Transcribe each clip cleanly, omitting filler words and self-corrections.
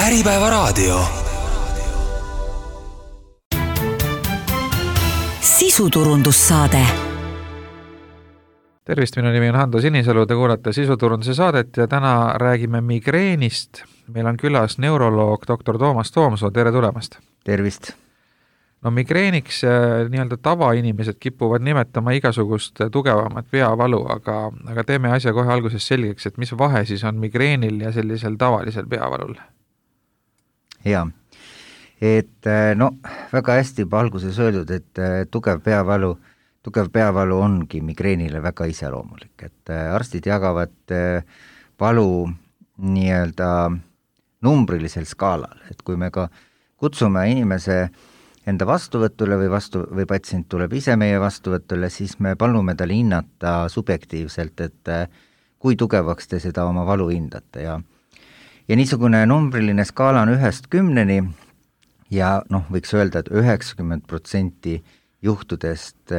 Äripäevaraadio. Sisuturundussaade. Tervist, minu nimi on Hando Sinisalu, te kuulate Sisuturunduse saadet ja täna räägime migreenist. Meil on külas neuroloog dr. Toomas Toomsoo, tere tulemast! Tervist! No migreeniks nii-öelda tavainimesed kipuvad nimetama igasugust tugevamat peavalu, aga teeme asja kohe alguses selgeks, et mis vahe siis on migreenil ja sellisel tavalisel peavalul? Jaa, et väga hästi juba alguses öeldud, et tugev peavalu ongi migreenile väga iseloomulik, et arstid jagavad valu nii-öelda numbrilisel skaalal, et kui me ka kutsume inimese enda vastuvõtule või patsient tuleb ise meie vastuvõtule, siis me palume tal hinnata subjektiivselt, et kui tugevaks te seda oma valu hindate ja niisugune numbriline skaala on 1-10 ja võiks öelda, et 90% juhtudest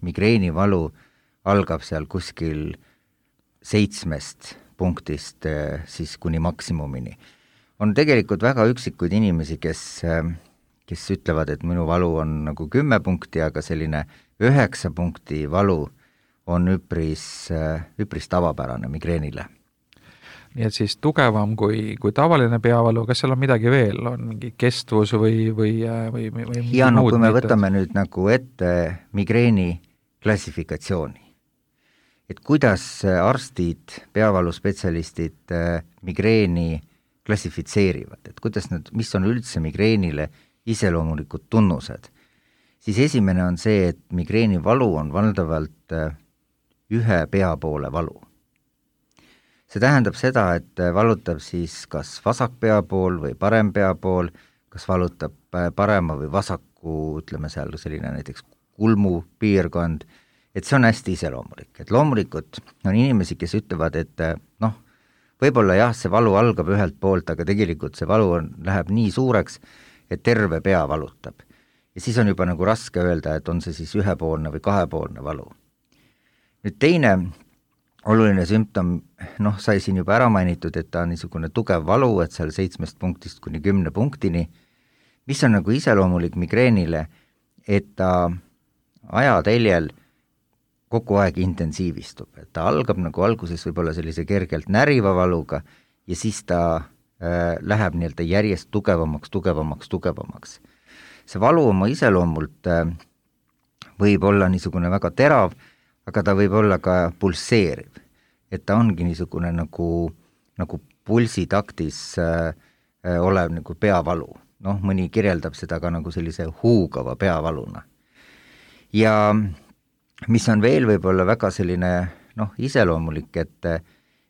migreenivalu algab seal kuskil 7 punktist siis kuni maksimumini. On tegelikult väga üksikuid inimesi, kes ütlevad, et minu valu on nagu 10 punkti, aga selline 9 punkti valu on üpris tavapärane migreenile. Nii et siis tugevam kui tavaline peavalu, kas seal on midagi veel, on mingi kestvus või ja kui me võtame nüüd nagu ette migreeni klassifikatsiooni, et kuidas arstid, peavaluspetsialistid migreeni klassifitseerivad, et kuidas mis on üldse migreenile iseloomulikud tunnused, siis esimene on see, et migreeni valu on valdavalt ühe pea poole valu. See tähendab seda, et valutab siis kas vasak pea pool või parem pea pool, kas valutab parema või vasaku, ütleme seal selline näiteks kulmu piirkond, et see on hästi iseloomulik. Et loomulikult on inimesi, kes ütlevad, et võib-olla jah, see valu algab ühelt poolt, aga tegelikult see valu läheb nii suureks, et terve pea valutab. Ja siis on juba nagu raske öelda, et on see siis ühepoolne või kahepoolne valu. Nüüd teine oluline sümptom, sai siin juba ära mainitud, et ta on niisugune tugev valu, et seal 7 punktist kuni 10 punktini, mis on nagu iseloomulik migreenile, et ta ajateljel kogu aeg intensiivistub, et ta algab nagu alguses võib-olla sellise kergelt näriva valuga ja siis ta läheb nii-öelda järjest tugevamaks. See valu oma iseloomult võib olla niisugune väga terav, aga ta võib olla ka pulseeriv, et ta ongi niisugune nagu pulsitaktis olev nagu peavalu. Mõni kirjeldab seda ka nagu sellise huugava peavaluna. Ja mis on veel võib-olla väga selline iseloomulik, et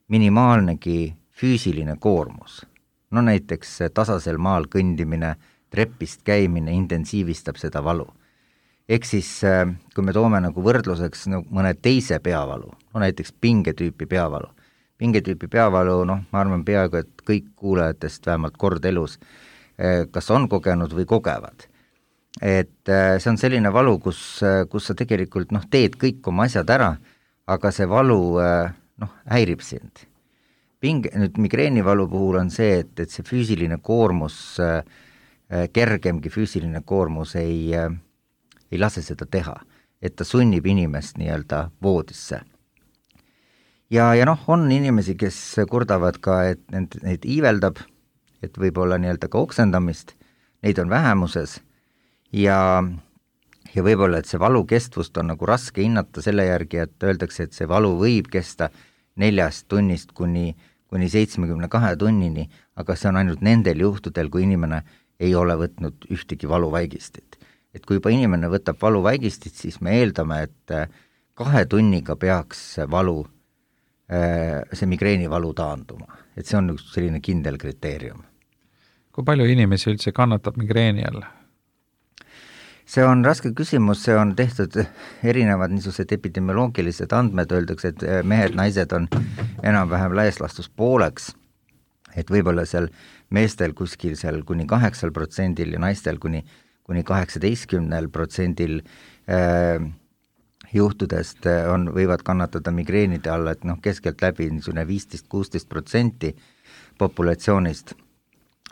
minimaalnegi füüsiline koormus. Näiteks tasasel maal kõndimine, trepist käimine intensiivistab seda valu. Ehk siis, kui me toome nagu võrdluseks mõne teise peavalu, näiteks pingetüüpi peavalu. Pingetüüpi peavalu, ma arvan peaaegu, et kõik kuulajatest vähemalt kord elus kas on kogenud või kogevad. Et see on selline valu, kus sa tegelikult teed kõik oma asjad ära, aga see valu häirib sind. Nüüd migreenivalu puhul on see, et see füüsiline koormus, kergemgi füüsiline koormus ei lase seda teha, et ta sunnib inimest nii-öelda voodisse. Ja on inimesi, kes kurdavad ka, et neid iiveldab, et võib-olla nii-öelda ka oksendamist, neid on vähemuses ja võib-olla, et see valu kestvust on nagu raske hinnata selle järgi, et öeldakse, et see valu võib kesta 4 tunnist kuni 72 tunnini, aga see on ainult nendel juhtudel, kui inimene ei ole võtnud ühtegi valuvaigistit. Et kui juba inimene võtab valuvaigistit, siis me eeldame, et 2 tunniga peaks see migreenivalu taanduma. Et see on üks selline kindel kriteerium. Kui palju inimesi üldse kannatab migreeni all? See on raske küsimus, see on tehtud erinevad niisugused epidemioloogilised andmed, öeldakse, et mehed, naised on enam-vähem laias laastus pooleks, et võib-olla seal meestel kuskil seal kuni 8% ja naistel kuni 18% juhtudest võivad kannatada migreenide alla, et keskeltläbi 15-16% populatsioonist.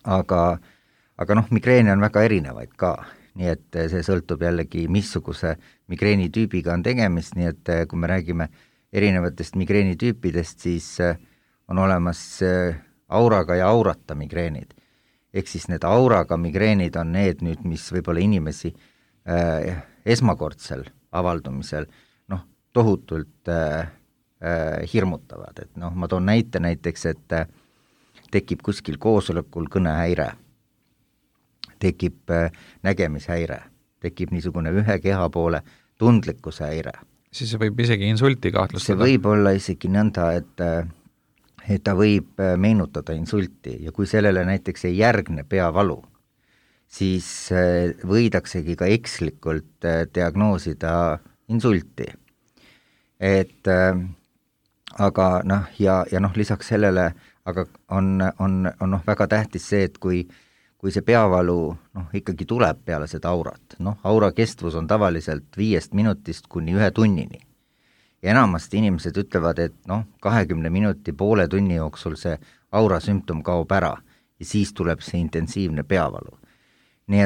aga noh, migreene on väga erinevaid ka, nii et see sõltub jällegi, missuguse migreenitüübiga on tegemist, nii et kui me räägime erinevatest migreenitüüpidest, siis on olemas auraga ja aurata migreenid. Ehk siis need auraga migreenid on need nüüd, mis võib-olla inimesi esmakordsel avaldumisel tohutult hirmutavad, et ma toon näiteks, et tekib kuskil koosolekul kõnehäire, tekib nägemishäire, tekib niisugune ühe keha poole tundlikkuse häire. Siis see võib isegi insulti kahtlustada. See võib olla isegi nõnda, et ta võib meenutada insulti ja kui sellele näiteks ei järgne peavalu, siis võidaksegi ka ekslikult diagnoosida insulti. Et aga lisaks sellele aga on väga tähtis see, et kui see peavalu ikkagi tuleb peale seda aurat, aura kestvus on tavaliselt 5 minutist kuni 1 tunnini. Ja enamasti inimesed ütlevad, et 20 minuti, poole tunni jooksul see aura sümptom kaob ära ja siis tuleb see intensiivne peavalu. Nii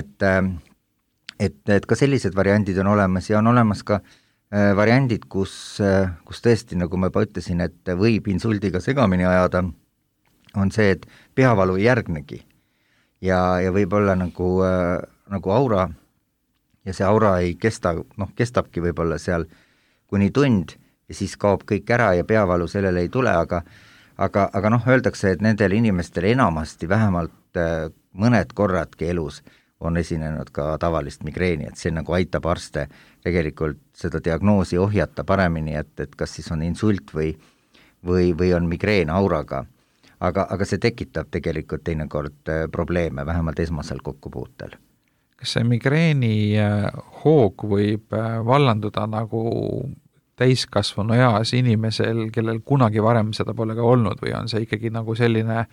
et ka sellised variandid on olemas ja on olemas ka variandid, kus tõesti, nagu ma juba ütlesin, et võib insuldiga segamini ajada, on see, et peavalu ei järgnegi ja võib olla nagu aura ja see aura ei kesta, kestabki võib-olla seal kuni tund ja siis kaob kõik ära ja peavalu sellele ei tule, aga öeldakse, et nendel inimestel enamasti vähemalt mõned korradki elus on esinenud ka tavalist migreeni, et see nagu aitab arste tegelikult seda diagnoosi ohjata paremini, et kas siis on insult või on migreen auraga. Aga see tekitab tegelikult teinekord probleeme, vähemalt esmasel kokkupuutel. Kas see migreeni hoog võib vallanduda nagu täiskasvanu eas inimesel, kellel kunagi varem seda pole ka olnud või on see ikkagi nagu selline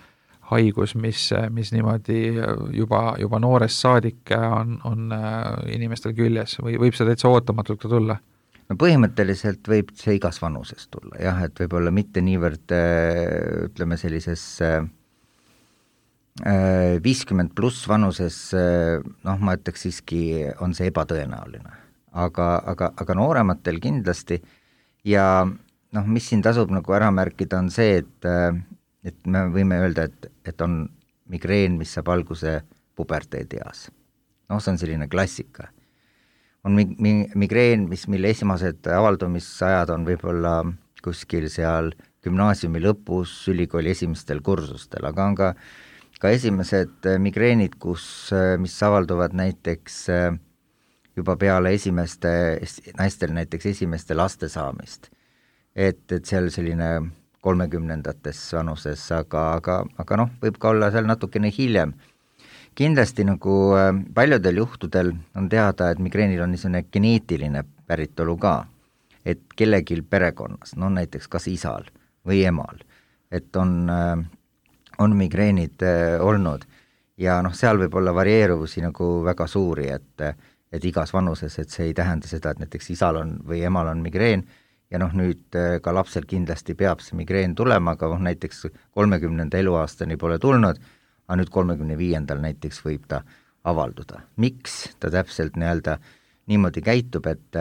haigus, mis niimoodi juba noorest saadik on inimestel küljes või võib see täitsa ootamatult ka tulla? No põhimõtteliselt võib see igas vanuses tulla, jah, et võib-olla mitte niivõrd, ütleme sellises 50 pluss vanuses, ma ütleks siiski on see ebatõenäoline, aga noorematel kindlasti ja mis siin tasub nagu ära märkida on see, et me võime öelda, et on migreen, mis saab alguse puberteedieas. See on selline klassika. On migreen, mille esimesed avaldumisajad on võib-olla kuskil seal gümnaasiumi lõpus, ülikooli esimestel kursustel, aga on ka esimesed migreenid, mis avalduvad näiteks juba peale naistel näiteks esimeste laste saamist. Et seal selline 30-ndates vanuses, aga võib ka olla seal natukene hiljem. Kindlasti nagu paljudel juhtudel on teada, et migreenil on niisugune geneetiline päritolu ka, et kellegil perekonnas, näiteks kas isal või emal, et on migreenid olnud ja seal võib olla varieeruvusi nagu väga suuri, et igas vanuses, et see ei tähenda seda, et näiteks isal on või emal on migreen ja nüüd ka lapsel kindlasti peab see migreen tulema, aga näiteks 30. eluaastani pole tulnud, aga nüüd 35. näiteks võib ta avalduda. Miks ta täpselt niimoodi käitub, et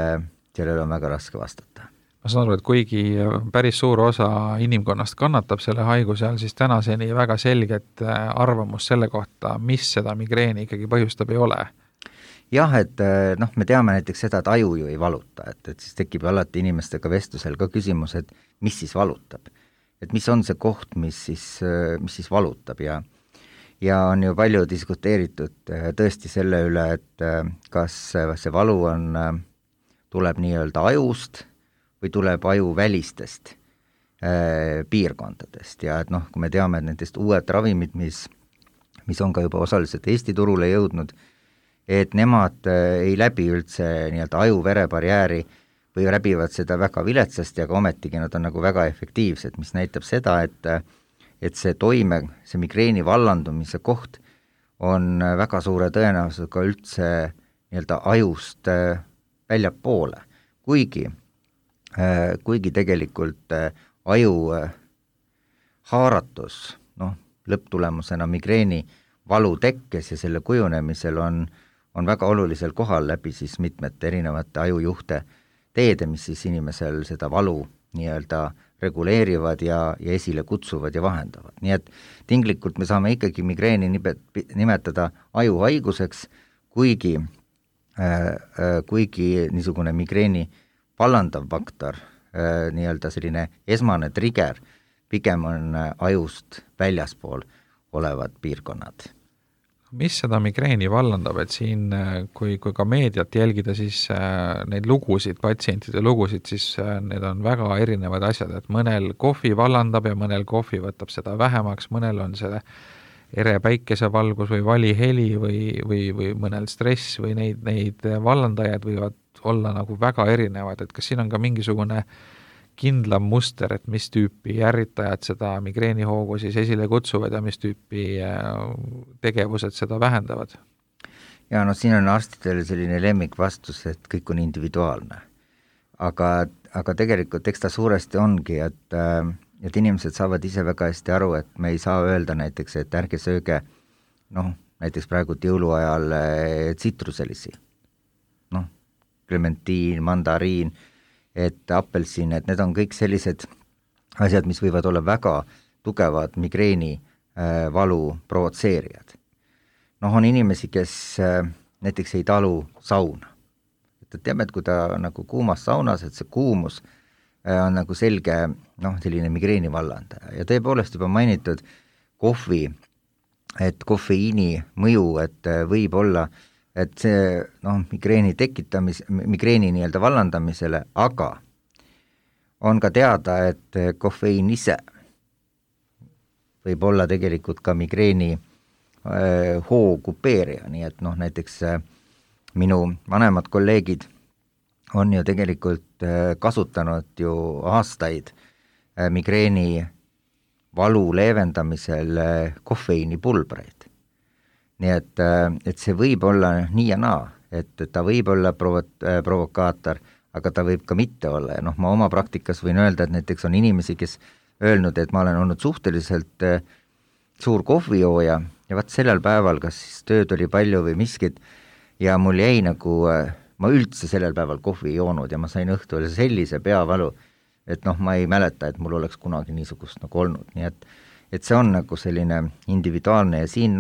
sellele on väga raske vastata? Ma saan aru, et kuigi päris suur osa inimkonnast kannatab selle haiguse all, siis tänaseni väga selget arvamus selle kohta, mis seda migreeni ikkagi põhjustab, ei ole. Jah, et me teame näiteks seda, et aju ju ei valuta, et siis tekib alati inimestega vestlusel ka küsimus, et mis siis valutab. Et mis on see koht, mis siis valutab ja on ju palju diskuteeritud tõesti selle üle, et kas see valu tuleb nii-öelda ajust või tuleb aju välistest piirkondadest ja et kui me teame, et nendest uued ravimid, mis on ka juba osaliselt Eesti turule jõudnud, et nemad ei läbi üldse nii-öelda aju-verebarjääri või läbivad seda väga viletsasti, aga ometigi nad on nagu väga efektiivsed, mis näitab seda, et see migreeni vallandumise koht on väga suure tõenäosusega üldse nii-öelda ajust väljapoole, kuigi tegelikult aju haaratus, lõpptulemusena migreeni valu tekkes ja selle kujunemisel on väga olulisel kohal läbi siis mitmete erinevate ajujuhte teede, mis siis inimesel seda valu nii-öelda reguleerivad ja esile kutsuvad ja vahendavad. Nii et tinglikult me saame ikkagi migreeni nimetada ajuhaiguseks, kuigi niisugune migreeni vallandav faktor, nii-öelda selline esmane trigger, pigem on ajust väljaspool olevad piirkonnad. Mis seda migreeni vallandab, et siin, kui ka meediat jälgida, siis neid lugusid, patsientide lugusid, siis need on väga erinevad asjad, et mõnel kohvi vallandab ja mõnel kohvi võtab seda vähemaks, mõnel on see ere päikesevalgus või valiheli või mõnel stress või neid vallandajad võivad olla nagu väga erinevad, et kas siin on ka mingisugune kindlam muster, et mis tüüpi ärritajad seda migreenihoogu siis esile kutsuvad ja mis tüüpi tegevused seda vähendavad? Ja siin on arstidel selline lemmikvastus, et kõik on individuaalne. Aga tegelikult eks ta suuresti ongi, et inimesed saavad ise väga hästi aru, et me ei saa öelda näiteks, et ärge sööge, näiteks praegu jõuluajal tsitruselisi, klementiin, mandariin, et apelsin, et need on kõik sellised asjad, mis võivad olla väga tugevad migreeni valu provotseerijad. On inimesi, kes näiteks ei talu sauna. Et teame, et kui ta nagu kuumas saunas, et see kuumus on nagu selge selline migreeni vallandaja. Ja tõepoolest juba mainitud kohvi, et kofeiini mõju, et võib olla et see migreeni migreeni nii-öelda vallandamisele, aga on ka teada, et kofeiin ise võib olla tegelikult ka migreeni hookupeerija, nii et näiteks minu vanemad kolleegid on ju tegelikult kasutanud ju aastaid migreeni valu leevendamisel kofeiinipulbreid. Nii et see võib olla nii ja naa, et ta võib olla provokaator, aga ta võib ka mitte olla. Ja ma oma praktikas võin öelda, et näiteks on inimesi, kes öelnud, et ma olen olnud suhteliselt suur kohvijooja ja vaat sellel päeval, kas siis tööd oli palju või miskit, ja mul jäi nagu, ma üldse sellel päeval kohvi ei joonud ja ma sain õhtul sellise peavalu, et ma ei mäleta, et mul oleks kunagi niisugust nagu olnud. Nii et see on nagu selline individuaalne ja siin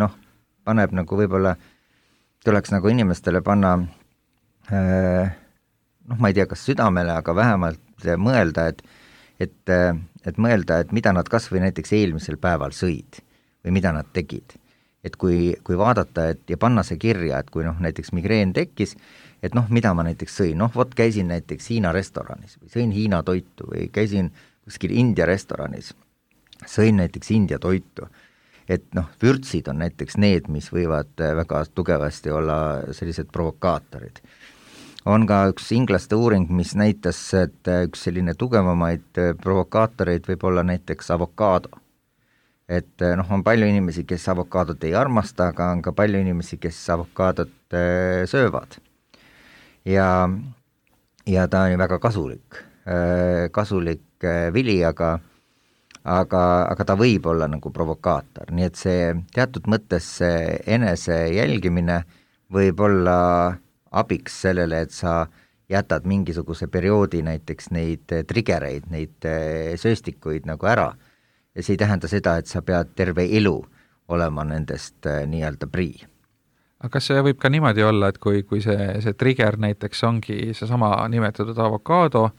paneb nagu võib-olla, tuleks nagu inimestele panna, ma ei tea, kas südamele, aga vähemalt mõelda, et mõelda, et mida nad kas või näiteks eelmisel päeval sõid või mida nad tegid. Et kui vaadata ja panna see kirja, et kui näiteks migreen tekkis, et mida ma näiteks sõin, vot käisin näiteks Hiina restoranis või sõin Hiina toitu või käisin kuskil India restoranis, sõin näiteks India toitu. Et vürtsid on näiteks need, mis võivad väga tugevasti olla sellised provokaatorid. On ka üks inglaste uuring, mis näitas, et üks selline tugevamaid provokaatoreid võib olla näiteks avokaado. Et on palju inimesi, kes avokaadot ei armasta, aga on ka palju inimesi, kes avokaadot söövad. Ja ta on väga kasulik vili, aga ta võib olla nagu provokaator, nii et see teatud mõttes see enese jälgimine võib olla abiks sellele, et sa jätad mingisuguse perioodi näiteks neid triggereid, neid sööstikuid nagu ära ja see ei tähenda seda, et sa pead terve elu olema nendest nii-öelda prii. Aga kas see võib ka niimoodi olla, et kui see trigger näiteks ongi seesama nimetatud avokaado,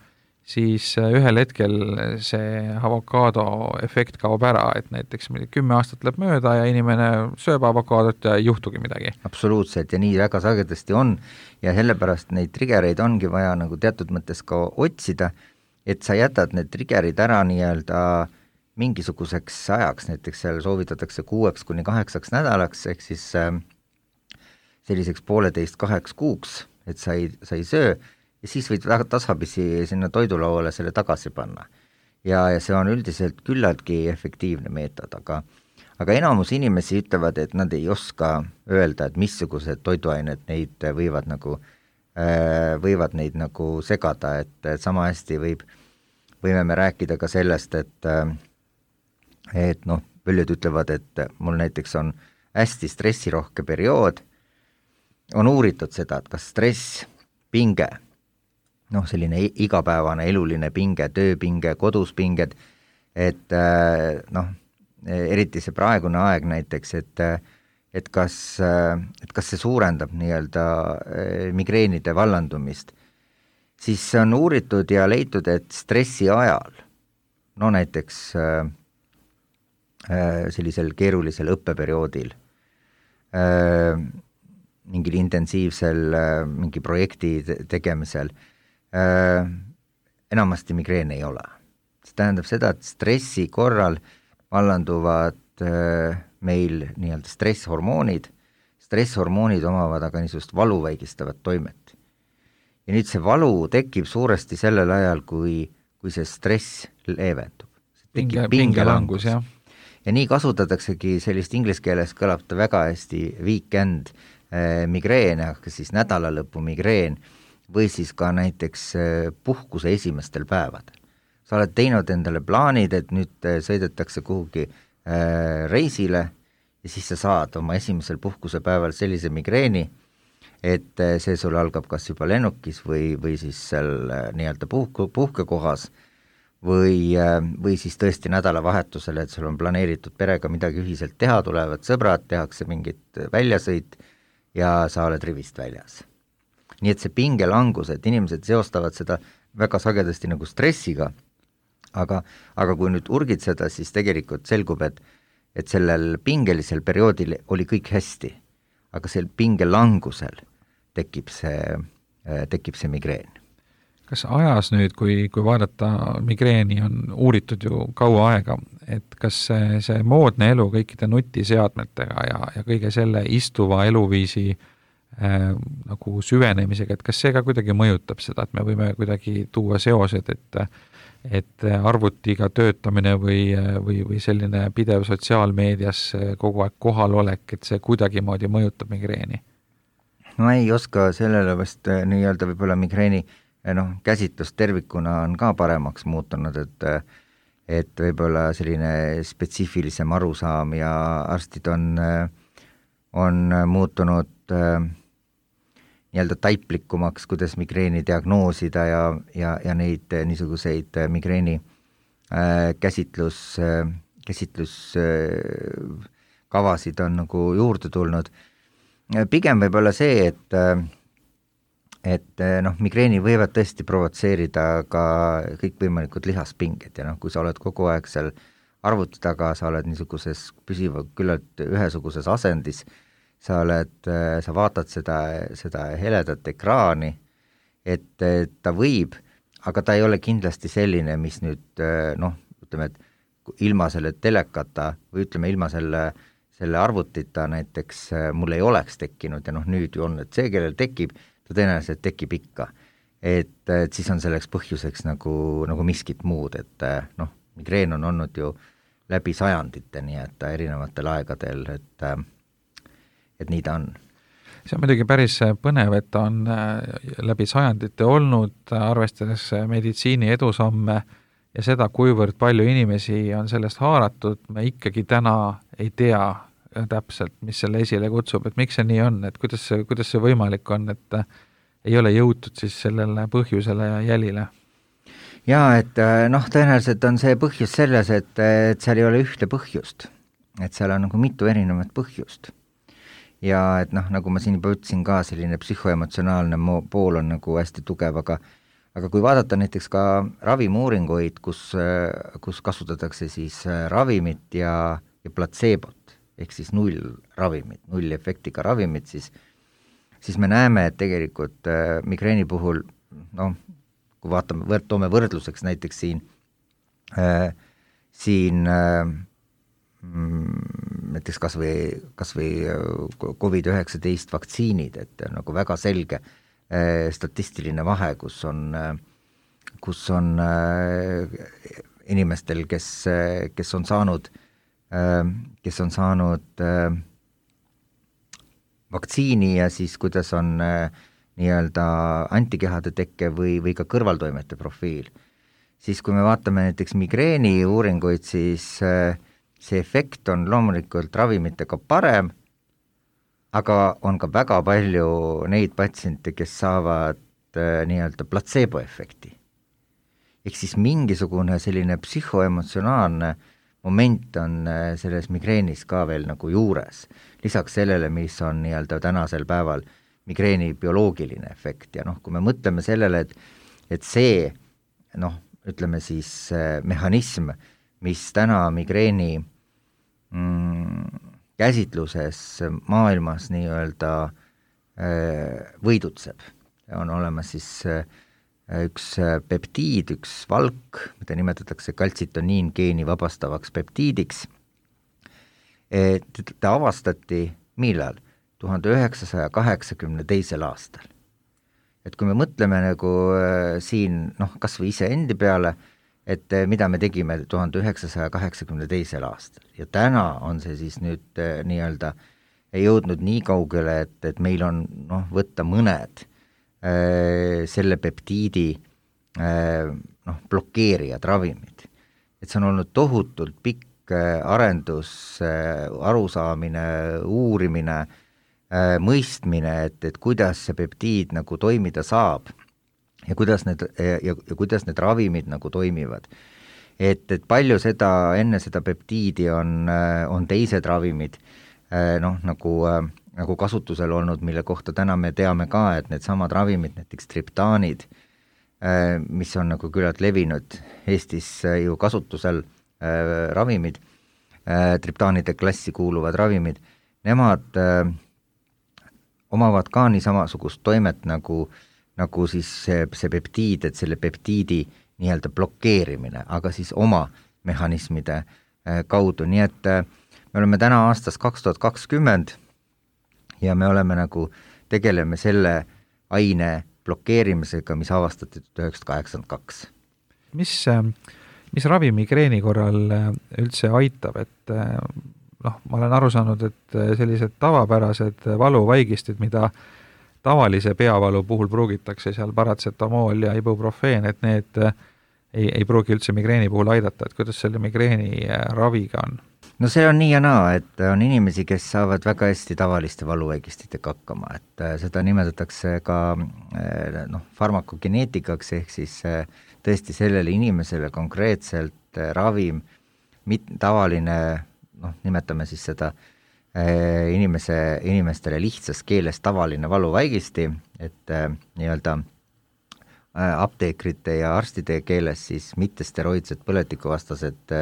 siis ühel hetkel see avokaado efekt kaob ära, et näiteks 10 aastat läheb mööda ja inimene sööb avokaadot ja ei juhtugi midagi. Absoluutselt ja nii väga sagedasti on ja sellepärast neid triggereid ongi vaja nagu teatud mõttes ka otsida, et sa jätad need triggerid ära nii-öelda mingisuguseks ajaks, näiteks seal soovitatakse 6-8 nädalaks, ehk siis selliseks 1,5-2 kuuks, et sa ei söö, ja siis võid väga tasapisi sinna toidulauale selle tagasi panna. Ja see on üldiselt küllaltki efektiivne meetod, aga enamus inimesi ütlevad, et nad ei oska öelda, et missugused toiduained neid võivad neid nagu segada, et sama hästi võime me rääkida ka sellest, et paljud ütlevad, et mul näiteks on hästi stressirohke periood, on uuritud seda, et kas stress, pinge, selline igapäevane eluline pinge, tööpinge, kodus pinged, et eriti see praegune aeg näiteks, et kas see suurendab nii-öelda migreenide vallandumist, siis on uuritud ja leitud, et stressi ajal, näiteks sellisel keerulisel õppeperioodil, mingil intensiivsel mingi projekti tegemisel, enamasti migreeni ei ole. See tähendab seda, et stressi korral vallanduvad meil nii-öelda stresshormoonid omavad aga niisugust valuvaigistavat toimet. Ja nüüd see valu tekib suuresti sellel ajal, kui see stress leevendub. Pingelangus, jah. Ja nii kasutataksegi sellist inglise keeles kõlab ta väga hästi weekend migreen, aga siis nädalalõpu migreen või siis ka näiteks puhkuse esimestel päevadel. Sa oled teinud endale plaanid, et nüüd sõidetakse kuhugi reisile ja siis sa saad oma esimesel puhkusepäeval sellise migreeni, et see sul algab kas juba lennukis või siis seal nii-öelda puhkekohas või siis tõesti nädalavahetusel, et sul on planeeritud perega midagi ühiselt teha, tulevad sõbrad, tehakse mingit väljasõit ja sa oled rivist väljas. Nii et see pingelangus, et inimesed seostavad seda väga sagedasti nagu stressiga, aga kui nüüd urgid seda, siis tegelikult selgub, et sellel pingelisel perioodil oli kõik hästi, aga sel pingelangusel tekib see migreen. Kas ajas nüüd, kui vaadata migreeni, on uuritud ju kaua aega, et kas see moodne elu kõikide nutiseadmetega ja kõige selle istuva eluviisi nagu süvenemisega, et kas see ka kuidagi mõjutab seda, et me võime kuidagi tuua seosed, et arvutiga töötamine või selline pidev sotsiaalmeedias kogu aeg kohalolek, et see kuidagimoodi mõjutab migreeni? Ma ei oska sellele vast nii-öelda võib-olla migreeni käsitlus tervikuna on ka paremaks muutunud, et võib-olla selline spetsiifilisem arusaam ja arstid on muutunud nii-öelda taiplikumaks, kuidas migreeni diagnoosida ja neid niisuguseid migreeni käsitluskavasid on nagu juurde tulnud. Pigem võib-olla see, et migreeni võivad tõesti provotseerida ka kõikvõimalikud lihaspinged ja kui sa oled kogu aeg seal arvuti taga, sa oled niisuguses püsiva küllalt ühesuguses asendis, sa vaatad seda heledat ekraani, et ta võib, aga ta ei ole kindlasti selline, mis nüüd ütleme, et ilma selle telekata või ütleme ilma selle arvutita näiteks mul ei oleks tekkinud ja nüüd ju on, et see, kellel tekib, ta tõenäoliselt tekib ikka. Et siis on selleks põhjuseks nagu miskit muud, et migreen on olnud ju läbi sajandite, nii et erinevatel aegadel, et nii ta on. See on muidugi päris põnev, et ta on läbi sajandite olnud, arvestades meditsiini edusamme ja seda, kuivõrd palju inimesi on sellest haaratud, me ikkagi täna ei tea täpselt, mis selle esile kutsub, et miks see nii on, et kuidas see võimalik on, et ei ole jõutud siis sellele põhjusele ja jälile? Jaa, et tõenäoliselt on see põhjus selles, et seal ei ole ühte põhjust, et seal on nagu mitu erinevat põhjust. Ja et nagu ma siin juba ütlesin ka, selline psühhoemotsionaalne pool on nagu hästi tugev, aga kui vaadata näiteks ka ravimuuringuid, kus kasutatakse siis ravimit ja placebot, ehk siis nullravimit, nullefektiga ravimit, siis me näeme, et tegelikult migreeni puhul, kui toome võrdluseks näiteks siin näiteks kas või COVID-19 vaktsiinid, et nagu väga selge statistiline vahe, kus on inimestel, kes on saanud vaktsiini ja siis kuidas on nii-öelda antikehade tekke või ka kõrvaltoimete profiil. Siis kui me vaatame näiteks migreeni uuringuid, siis see efekt on loomulikult ravimitega parem, aga on ka väga palju neid patsiente, kes saavad nii-öelda platseeboefekti. Ehk siis mingisugune selline psühhoemotsionaalne moment on selles migreenis ka veel nagu juures, lisaks sellele, mis on nii-öelda tänasel päeval migreeni bioloogiline efekt ja kui me mõtleme sellele, et see ütleme siis mehhanism, mis täna migreeni käsitluses maailmas nii-öelda võidutseb. On olemas siis üks peptiid, üks valk, mida nimetatakse kaltsitoniin geeni vabastavaks peptiidiks. Ta avastati millal? 1982. aastal. Et kui me mõtleme nagu siin, kas või iseendi peale, et mida me tegime 1982. aastal ja täna on see siis nüüd nii-öelda jõudnud nii kaugele, et meil on võtta mõned selle peptiidi blokeerijad, ravimid. Et see on olnud tohutult pikk arendus, arusaamine, uurimine, mõistmine, et kuidas see peptiid nagu toimida saab ja kuidas need ravimid nagu toimivad. Et palju seda, enne seda peptiidi on teised ravimid nagu kasutusel olnud, mille kohta täna me teame ka, et need samad ravimid, näiteks triptaanid, mis on nagu küllalt levinud Eestis ju kasutusel ravimid, triptaanide klassi kuuluvad ravimid, nemad omavad ka nii samasugust toimet nagu siis see peptiid, et selle peptiidi nii-öelda blokeerimine, aga siis oma mehhanismide kaudu, nii et me oleme täna aastas 2020 ja me oleme tegeleme selle aine blokeerimisega, mis avastati 1982. Mis ravi migreeni korral üldse aitab, et ma olen aru saanud, et sellised tavapärased valuvaigistid, mida tavalise peavalu puhul pruugitakse seal paratsetamool ja ibuprofeen, et need ei pruugi üldse migreeni puhul aidata, et kuidas selle migreeni raviga on? No see on nii ja naa, et on inimesi, kes saavad väga hästi tavaliste valuvaigistitega hakkama, et seda nimetatakse ka farmakogeneetikaks, ehk siis tõesti sellele inimesele konkreetselt ravim, tavaline, nimetame siis seda inimestele lihtsas keeles tavaline valuvaigisti, et nii-öelda apteekrite ja arstide keeles siis mittesteroidsed põletikuvastased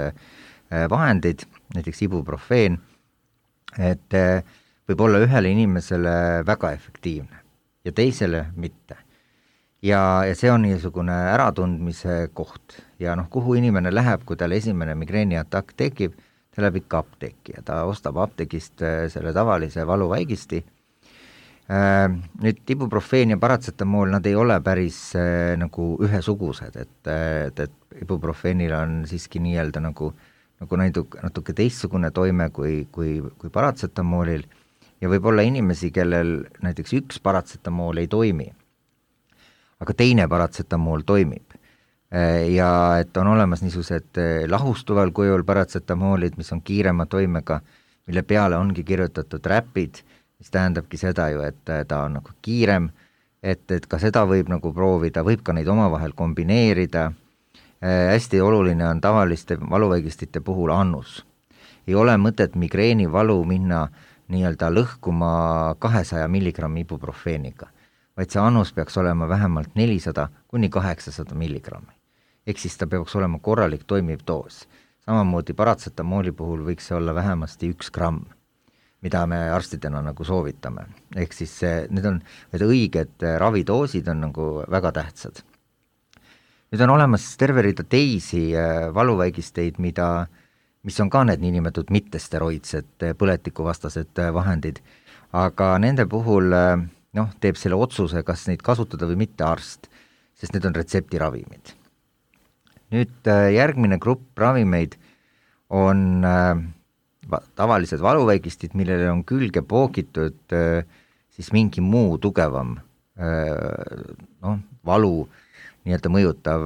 vahendid, näiteks ibuprofeen, et võib olla ühele inimesele väga efektiivne ja teisele mitte. Ja see on niisugune äratundmise koht ja kuhu inimene läheb, kui tal esimene migreeniatakk tekib, ta läheb ikka apteeki ja ta ostab apteegist selle tavalise valuvaigisti. Nüüd ibuprofeen ja paratsetamool, nad ei ole päris nagu ühesugused, et ibuprofeenil on siiski nii-öelda nagu natuke teistsugune toime kui paratsetamoolil ja võib olla inimesi, kellel näiteks üks paratsetamool ei toimi, aga teine paratsetamool toimib. Ja et on olemas niisugused lahustuval kujul paratsetamoolid, mis on kiirema toimega, mille peale ongi kirjutatud räpid, mis tähendabki seda ju, et ta on nagu kiirem, et ka seda võib nagu proovida, võib ka neid omavahel kombineerida. Hästi oluline on tavaliste valuvaigistite puhul annus. Ei ole mõtet migreeni valu minna nii-öelda lõhkuma 200 milligrammi ibuprofeeniga, vaid see annus peaks olema vähemalt 400 kuni 800 milligrammi. Ehk siis ta peaks olema korralik toimiv doos. Samamoodi paratsetamooli puhul võiks see olla vähemasti 1 gramm, mida me arstidena nagu soovitame. Ehk siis need õiged ravidoosid on nagu väga tähtsad. Nüüd on olemas terve rida teisi valuvaigisteid, mis on ka need niinimetatud mittesteroidsed põletikuvastased vahendid, aga nende puhul teeb selle otsuse, kas neid kasutada või mitte arst, sest need on retseptiravimid. Nüüd järgmine grupp ravimeid on tavalised valuvaigistid, millele on külge poogitud siis mingi muu tugevam valu nii-öelda mõjutav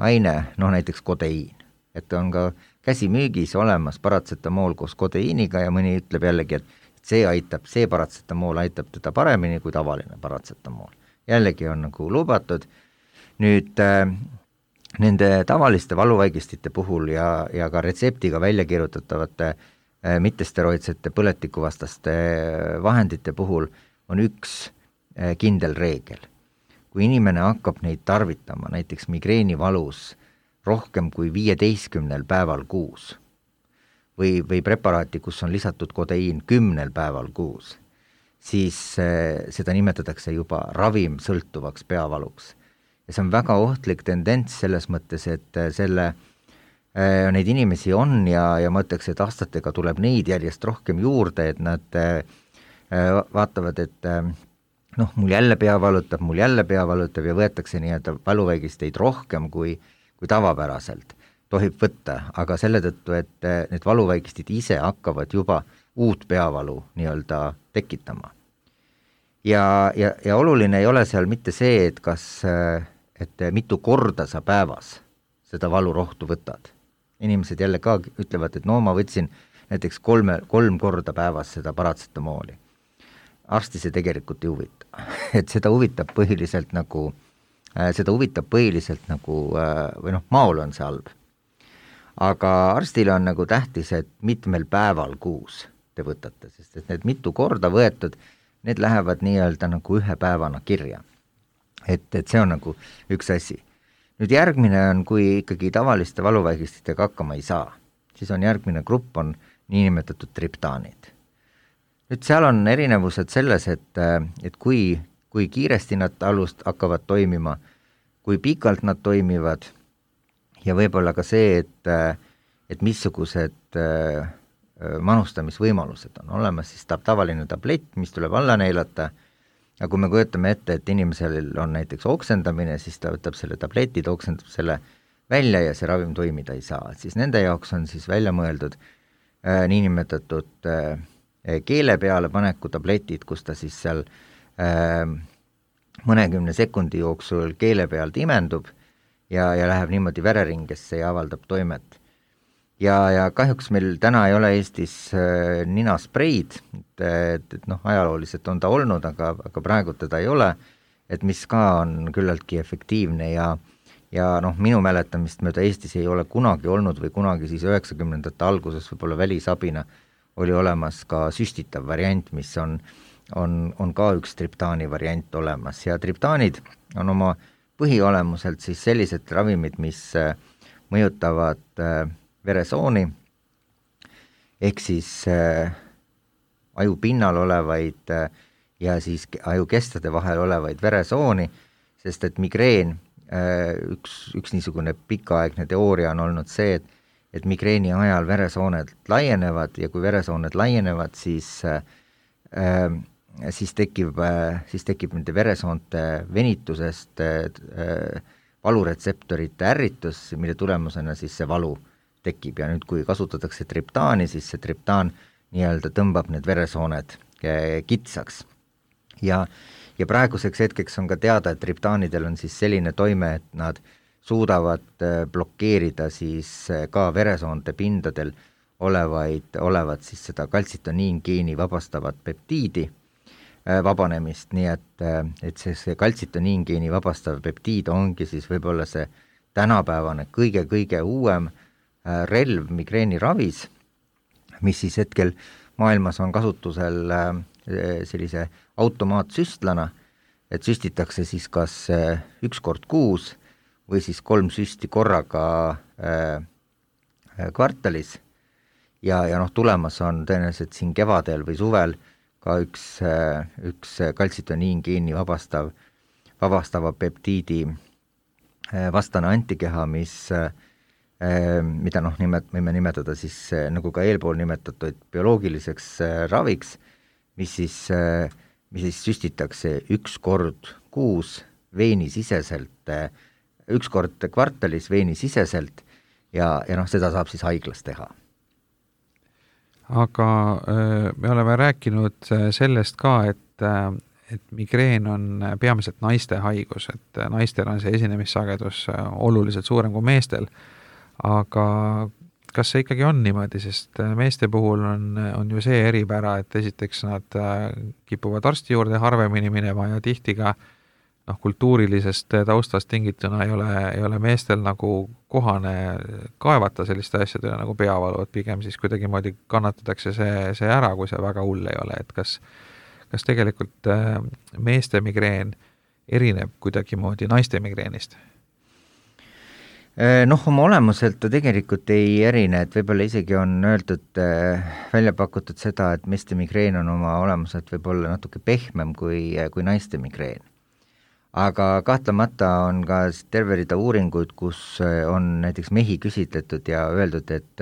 aine, näiteks kodeiin. Et on ka käsimüügis olemas paratsetamool koos kodeiiniga ja mõni ütleb jällegi, et see paratsetamool aitab teda paremini kui tavaline paratsetamool. Jällegi on nagu lubatud. Nüüd nende tavaliste valuvaigistite puhul ja ka retseptiga välja kirjutatavate mittesteroidsete põletikuvastaste vahendite puhul on üks kindel reegel. Kui inimene hakkab neid tarvitama, näiteks migreenivalus rohkem kui 15 päeval kuus või preparaati, kus on lisatud kodeiin 10 päeval kuus, siis seda nimetatakse juba ravimsõltuvaks peavaluks. Ja see on väga ohtlik tendents selles mõttes, et neid inimesi on ja ma ütleks, et aastatega tuleb neid järjest rohkem juurde, et nad vaatavad, et mul jälle pea valutab ja võetakse nii-öelda valuvaigisteid rohkem kui tavapäraselt tohib võtta, aga selle tõttu, et need valuvaigistid ise hakkavad juba uut peavalu nii-öelda tekitama. Ja oluline ei ole seal mitte see, et mitu korda sa päevas seda valurohtu võtad. Inimesed jälle ka ütlevad, et ma võtsin näiteks 3 korda päevas seda paratsetamooli. Arsti see tegelikult ei huvita. Et seda huvitab põhiliselt nagu või maul on see halb. Aga arstile on nagu tähtis, et mitmel päeval kuus te võtate, sest et need mitu korda võetud, need lähevad nii-öelda nagu ühe päevana kirja. Et see on nagu üks asi. Nüüd järgmine on, kui ikkagi tavaliste valuvaigistitega hakkama ei saa, siis on järgmine grupp on niinimetatud triptaanid. Nüüd seal on erinevused selles, et kui kiiresti nad hakkavad toimima, kui pikalt nad toimivad ja võib-olla ka see, et missugused manustamisvõimalused on olemas, siis tavaline tablett, mis tuleb alla neelata, ja kui me kujutame ette, et inimesel on näiteks oksendamine, siis ta võtab selle tableti, ta oksendab selle välja ja see ravim toimida ei saa. Siis nende jaoks on siis välja mõeldud niinimetatud keele peale paneku tabletid, kus ta siis seal mõnekümne sekundi jooksul keele pealt imendub ja läheb niimoodi vereringesse ja avaldab toimet. Ja kahjuks meil täna ei ole Eestis ninaspreid, et ajalooliselt on ta olnud, aga praegu teda ei ole, et mis ka on küllaltki efektiivne ja minu mäletamist mööda Eestis ei ole kunagi olnud või kunagi siis 90ndate alguses võib-olla välisabina oli olemas ka süstitav variant, mis on ka üks triptaani variant olemas ja triptaanid on oma põhiolemuselt siis sellised ravimid, mis mõjutavad veresooni ehk siis aju pinnal olevaid ja siis ajukestade vahel olevaid veresooni, sest et migreen, üks niisugune pikaaegne teooria on olnud see, et migreeni ajal veresooned laienevad ja kui veresooned laienevad, siis tekib nende veresoonte venitusest valuretseptorite ärritus, mille tulemusena siis see valu tekib ja nüüd kui kasutatakse triptaani, siis see triptaan nii-öelda tõmbab need veresooned kitsaks. Ja praeguseks hetkeks on ka teada, et triptaanidel on siis selline toime, et nad suudavad blokeerida siis ka veresoonte pindadel olevat siis seda kaltsitoniingeeni vabastavat peptiidi vabanemist, nii et see kaltsitoniingeeni vabastav peptiid ongi siis võib-olla see tänapäevane kõige uuem relv migreeni ravis, mis siis hetkel maailmas on kasutusel sellise automaatsüstlana, et süstitakse siis kas 1 kord kuus või siis 3 süsti korraga kvartalis ja tulemas on tõenäoliselt siin kevadel või suvel ka üks kaltsitoniingeeni vabastava peptiidi vastane antikeha, mida võime nimetada siis nagu ka eelpool nimetatud bioloogiliseks raviks, mis siis süstitakse 1 kord kuus veenisiseselt, 1 kord kvartalis veenisiseselt ja seda saab siis haiglas teha. Aga me oleme rääkinud sellest ka, et migreen on peamiselt naiste haigus, et naistel on see esinemissagedus oluliselt suurem kui meestel, aga kas see ikkagi on niimoodi, sest meeste puhul on ju see eripära, et esiteks nad kipuvad arsti juurde harvemini minema ja tihti ka kultuurilisest taustast tingituna ei ole meestel nagu kohane kaevata selliste asjadele nagu peavalu, et pigem siis kuidagimoodi kannatatakse see ära, kui see väga hull ei ole, et kas tegelikult meeste migreen erineb kuidagimoodi naiste migreenist? Oma olemuselt ta tegelikult ei erine, et võib-olla isegi on öeldud, välja pakutud seda, et meeste migreen on oma olemuselt võib-olla natuke pehmem kui naiste migreen. Aga kahtlemata on ka terve rida uuringuid, kus on näiteks mehi küsitletud ja öeldud, et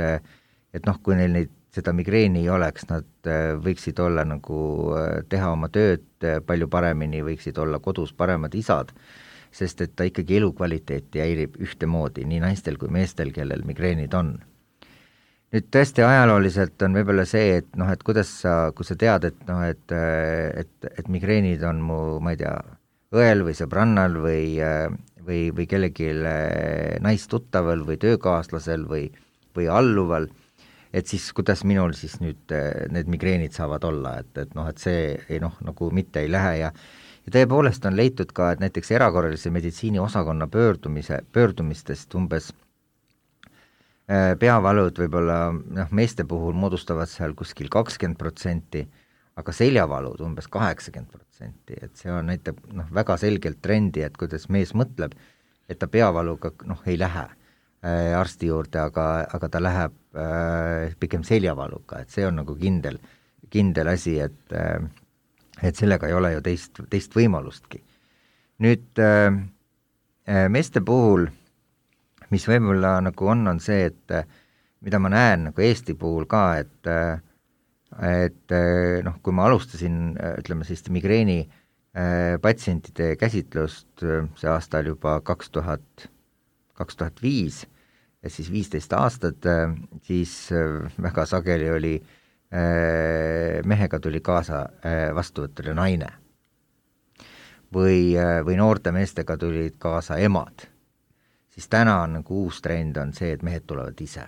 kui neil seda migreeni ei oleks, nad võiksid olla teha oma tööd palju paremini, võiksid olla kodus paremad isad, sest et ta ikkagi elukvaliteeti häirib ühtemoodi, nii naistel kui meestel, kellel migreenid on. Nüüd tõesti ajalooliselt on võib-olla see, et kuidas kui sa tead, et migreenid on mu, ma ei tea, õel või sõbrannal või kellegi naistuttaval või töökaaslasel või alluval, et siis kuidas minul siis nüüd need migreenid saavad olla, et see ei mitte ei lähe ja tõepoolest on leitud ka, et näiteks erakorralise meditsiini osakonna pöördumistest umbes peavalud võib-olla meeste puhul moodustavad seal kuskil 20%, aga seljavalud umbes 80%, et see näitab väga selgelt trendi, et kuidas mees mõtleb, et ta peavaluga ei lähe arsti juurde, aga ta läheb pigem seljavaluga, et see on kindel asi, et sellega ei ole ju teist võimalustki. Nüüd meeste puhul, mis võib-olla on see, et mida ma näen Eesti puhul ka, et kui ma alustasin, ütleme siis migreeni patsientide käsitlust see aastal juba 2005, et siis 15 aastat, siis väga sageli oli mehega tuli kaasa vastuvõtule naine või noorte meestega tulid kaasa emad, siis täna on uus trend on see, et mehed tulevad ise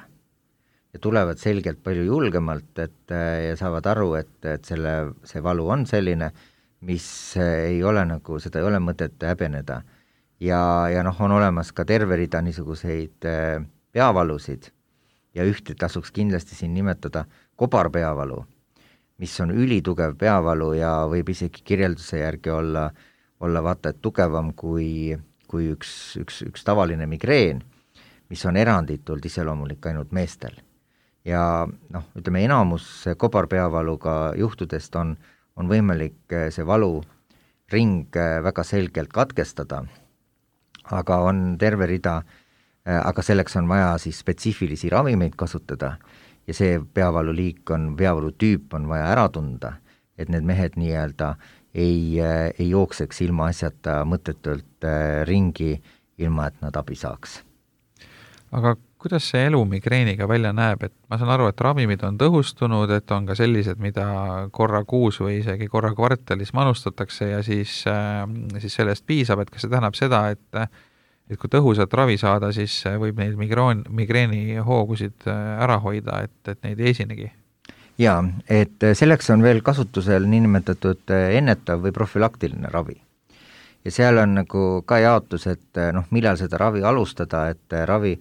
ja tulevad selgelt palju julgemalt, ja saavad aru, et see valu on selline, mis ei ole seda ei ole mõtet häbeneda. Ja on olemas ka terve rida niisuguseid peavalusid ja ühte tasuks kindlasti siin nimetada kobarpeavalu, mis on ülitugev peavalu ja võib isegi kirjelduse järgi olla vaata, et tugevam kui üks tavaline migreen, mis on eranditult iseloomulik ainult meestel. Ja ütleme, enamus kobarpeavaluga juhtudest on võimalik see valuring väga selgelt katkestada, aga on terve rida, aga selleks on vaja siis spetsiifilisi ravimeid kasutada ja see peavalutüüp on vaja ära tunda, et need mehed nii-öelda ei jookseks ilma asjata mõttetult ringi, ilma et nad abi saaks. Aga kuidas see elu migreeniga välja näeb, et ma saan aru, et ravimid on tõhustunud, et on ka sellised, mida korra kuus või isegi korra kvartalis manustatakse ja siis sellest piisab, et kas see tähendab seda, et kui tõhusat ravi saada, siis võib neid migreeni hoogusid ära hoida, et neid ei esinegi? Jaa, et selleks on veel kasutusel niinimetatud ennetav või profülaktiline ravi. Ja seal on ka jaotus, et millal seda ravi alustada, et ravi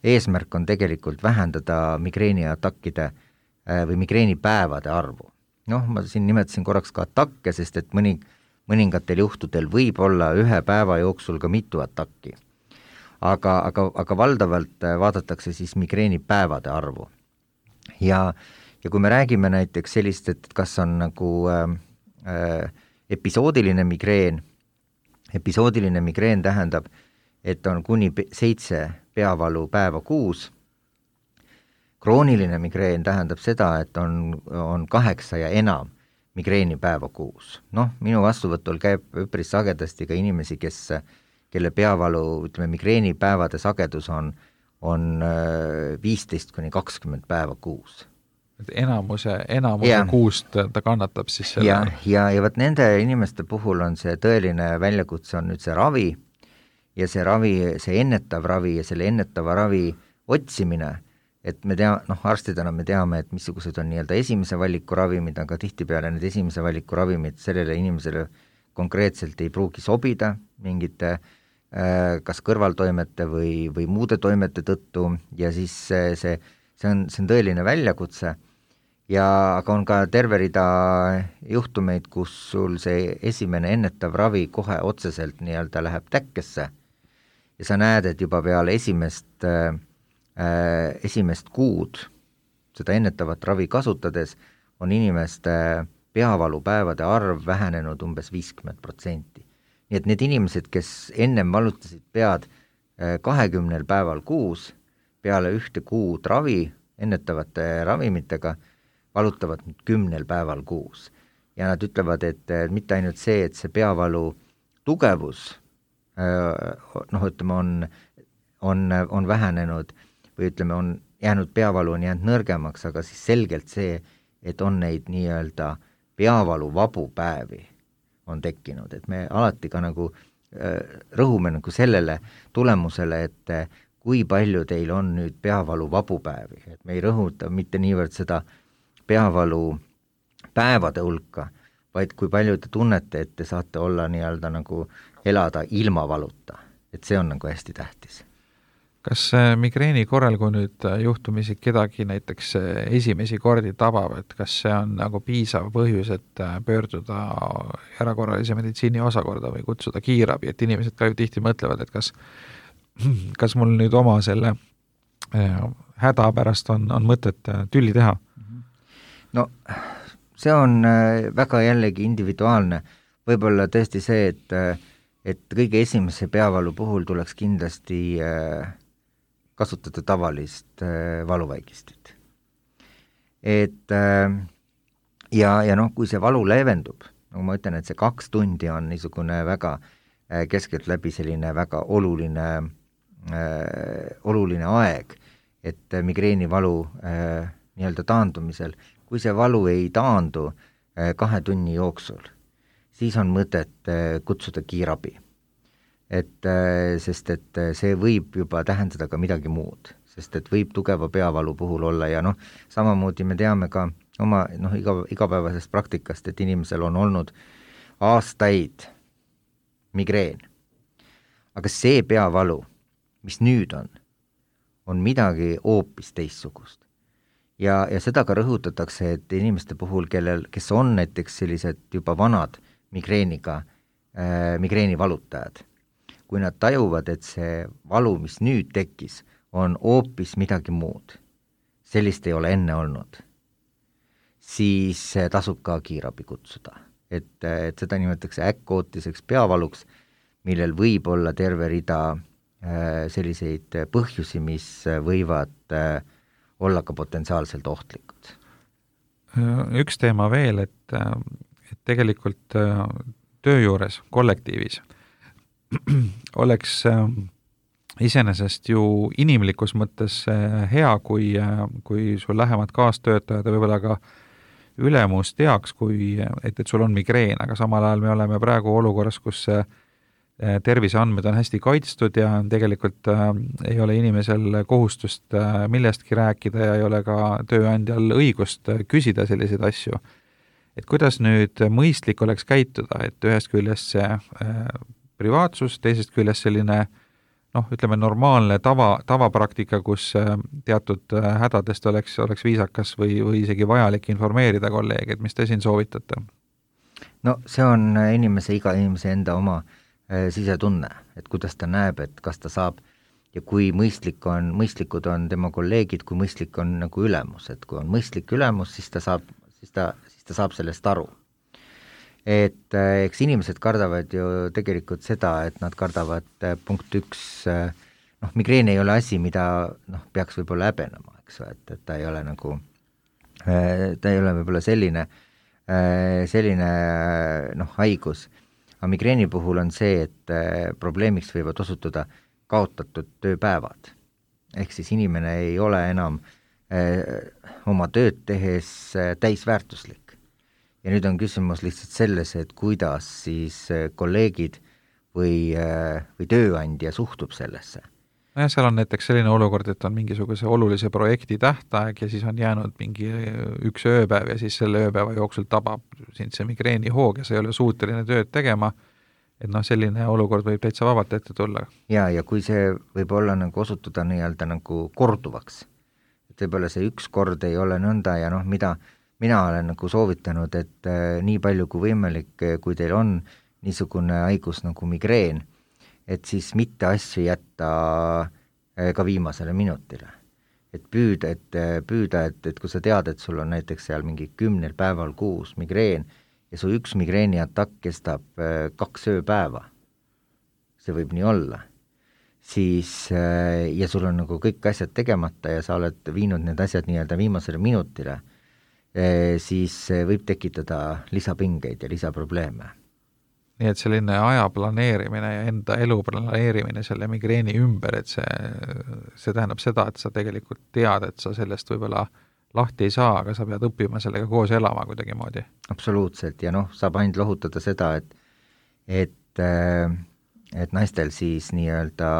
eesmärk on tegelikult vähendada migreeniatakkide või migreenipäevade arvu. Ma siin nimetasin korraks ka atakke, sest et mõningatel juhtudel võib olla ühe päeva jooksul ka mitu atakki. Aga valdavalt vaadatakse siis migreenipäevade arvu. Ja kui me räägime näiteks sellist, et kas on episoodiline migreen tähendab, et on kuni 7 peavalu päeva kuus. Krooniline migreen tähendab seda, et on 8 ja enam migreeni päeva kuus. Minu vastuvõtul käib üpris sagedasti ka inimesi, kelle peavalu, ütleme, migreeni päevade sagedus on 15 kuni 20 päeva kuus. Enamuse kuust ta kannatab siis selle. Ja võt nende inimeste puhul on see tõeline väljakutse on nüüd see ravi, ja see ennetav ravi ja selle ennetava ravi otsimine et me arstidena me teame, et missugused on nii-öelda esimese valiku ravimid, aga tihtipeale need esimese valiku ravimid sellele inimesele konkreetselt ei pruugi sobida mingite kas kõrvaltoimete või muude toimete tõttu ja siis see on tõeline väljakutse ja aga on ka terve rida juhtumeid, kus sul see esimene ennetav ravi kohe otseselt nii-öelda läheb täkkesse ja sa näed, et juba peale esimest kuud seda ennetavat ravi kasutades on inimeste peavalupäevade arv vähenenud umbes 50%. Nii et need inimesed, kes ennem valutasid pead 20 päeval kuus, peale 1 kuud ravi ennetavate ravimitega, valutavad nüüd 10 päeval kuus. Ja nad ütlevad, et mitte ainult see, et see peavalu tugevus ütleme, on vähenenud või ütleme, on jäänud peavalu on jäänud nõrgemaks, aga siis selgelt see, et on neid nii-öelda peavalu vabu päevi on tekkinud, et me alati ka nagu rõhume nagu sellele tulemusele, et kui palju teil on nüüd peavalu vabu päevi, et me ei rõhuta mitte niivõrd seda peavalu päevade hulka, vaid kui palju te tunnete, et te saate olla nii-öelda nagu elada ilma valuta, et see on nagu hästi tähtis. Kas migreeni korral, kui nüüd juhtumisi kedagi näiteks esimesi kordi tabab, et kas see on nagu piisav põhjus, et pöörduda erakorralise meditsiini osakorda või kutsuda kiirabi, et inimesed ka ju tihti mõtlevad, et kas mul nüüd oma selle häda pärast on mõtet tülli teha? No see on väga jällegi individuaalne, võib-olla tõesti see, et kõige esimese peavalu puhul tuleks kindlasti kasutada tavalist valuvaigistit. Et ja kui see valu leevendub, nagu ma ütlen, et see 2 tundi on niisugune väga keskeltläbi selline väga oluline aeg, et migreenivalu nii-öelda taandumisel, kui see valu ei taandu 2 tunni jooksul, siis on mõtet kutsuda kiirabi. Sest et see võib juba tähendada ka midagi muud, sest et võib tugeva peavalu puhul olla ja samamoodi me teame ka oma igapäevasest praktikast, et inimesel on olnud aastaid migreen. Aga see peavalu, mis nüüd on midagi hoopis teistsugust. Ja seda ka rõhutatakse, et inimeste puhul, kes on näiteks sellised juba vanad migreeni valutajad, kui nad tajuvad, et see valu, mis nüüd tekkis, on hoopis midagi muud, sellist ei ole enne olnud, siis tasub ka kiirabi kutsuda. Et seda nimetatakse äkkootiseks peavaluks, millel võib olla terve rida selliseid põhjusi, mis võivad olla ka potentsiaalselt ohtlikud. Üks teema veel, et tegelikult töö juures, kollektiivis, oleks iseenesest ju inimlikus mõttes hea, kui sul lähemad kaastöötajad ja võib-olla ka ülemus teaks, et sul on migreen, aga samal ajal me oleme praegu olukorras, kus terviseandmed on hästi kaitstud ja tegelikult ei ole inimesel kohustust millestki rääkida ja ei ole ka tööandjal õigust küsida selliseid asju. Et kuidas nüüd mõistlik oleks käituda, et ühest küljest see privaatsus, teisest küljest selline ütleme normaalne tavapraktika, kus teatud hädadest oleks viisakas või isegi vajalik informeerida kolleege, et mis te siin soovitate? No see on iga inimese enda oma sisetunne, et kuidas ta näeb, et kas ta saab ja kui mõistlikud on tema kolleegid, kui mõistlik on nagu ülemus, et kui on mõistlik ülemus, siis ta saab sellest aru. Et eks inimesed kardavad ju tegelikult seda, et nad kardavad punkt 1, migreen ei ole asi, mida peaks võib-olla häbenema, eks, et ta ei ole nagu, ta ei ole võib-olla selline haigus. Aga migreeni puhul on see, et probleemiks võivad osutuda kaotatud tööpäevad. Ehk siis inimene ei ole enam oma tööd tehes täisväärtuslik. Ja nüüd on küsimus lihtsalt selles, et kuidas siis kolleegid või tööandja suhtub sellesse. nojah, seal on näiteks selline olukord, et on mingisuguse olulise projekti tähtaeg ja siis on jäänud mingi üks ööpäev ja siis selle ööpäeva jooksul tabab sind see migreenihoog ja sa ei ole suuteline tööd tegema, et selline olukord võib täitsa vabalt ette tulla. Ja kui see võib olla nagu osutuda nii-öelda nagu korduvaks, et võib-olla see üks kord ei ole nõnda ja mida mina olen nagu soovitanud, et nii palju kui võimalik, kui teil on niisugune haigus nagu migreen, et siis mitte asju jätta ka viimasele minutile. Et püüda, et kui sa tead, et sul on näiteks seal mingi 10 päeval kuus migreen ja su üks migreeni atakk kestab 2 ööpäeva, see võib nii olla, siis ja sul on nagu kõik asjad tegemata ja sa oled viinud need asjad nii-öelda viimasele minutile, siis võib tekitada lisapingeid ja lisaprobleeme. Nii et selline aja planeerimine ja enda elu planeerimine selle migreeni ümber, et see tähendab seda, et sa tegelikult tead, et sa sellest võib-olla lahti ei saa, aga sa pead õppima sellega koos elama kuidagi moodi. Absoluutselt, ja saab ainult lohutada seda, et naistel siis nii-öelda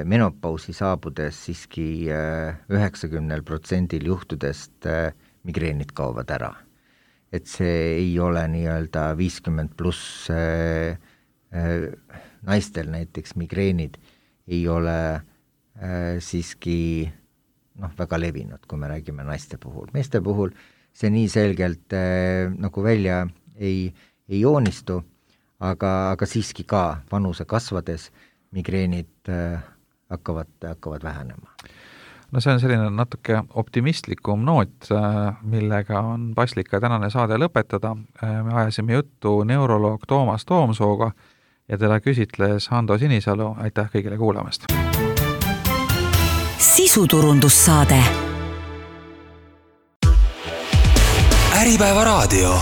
menopausi saabudes siiski 90% juhtudest migreenid kaovad ära. Et see ei ole nii-öelda 50 pluss naistel näiteks migreenid ei ole siiski väga levinud, kui me räägime naiste puhul. Meeste puhul see nii selgelt nagu välja ei joonistu, aga siiski ka vanuse kasvades migreenid hakkavad vähenema. No see on selline natuke optimistlikum noot, millega on paslik ka tänane saade lõpetada. Me ajasime juttu neuroloog Toomas Toomsooga ja teda küsitles Hando Sinisalu. Aitäh kõigile kuulamast! Sisuturundussaade. Äripäeva raadio.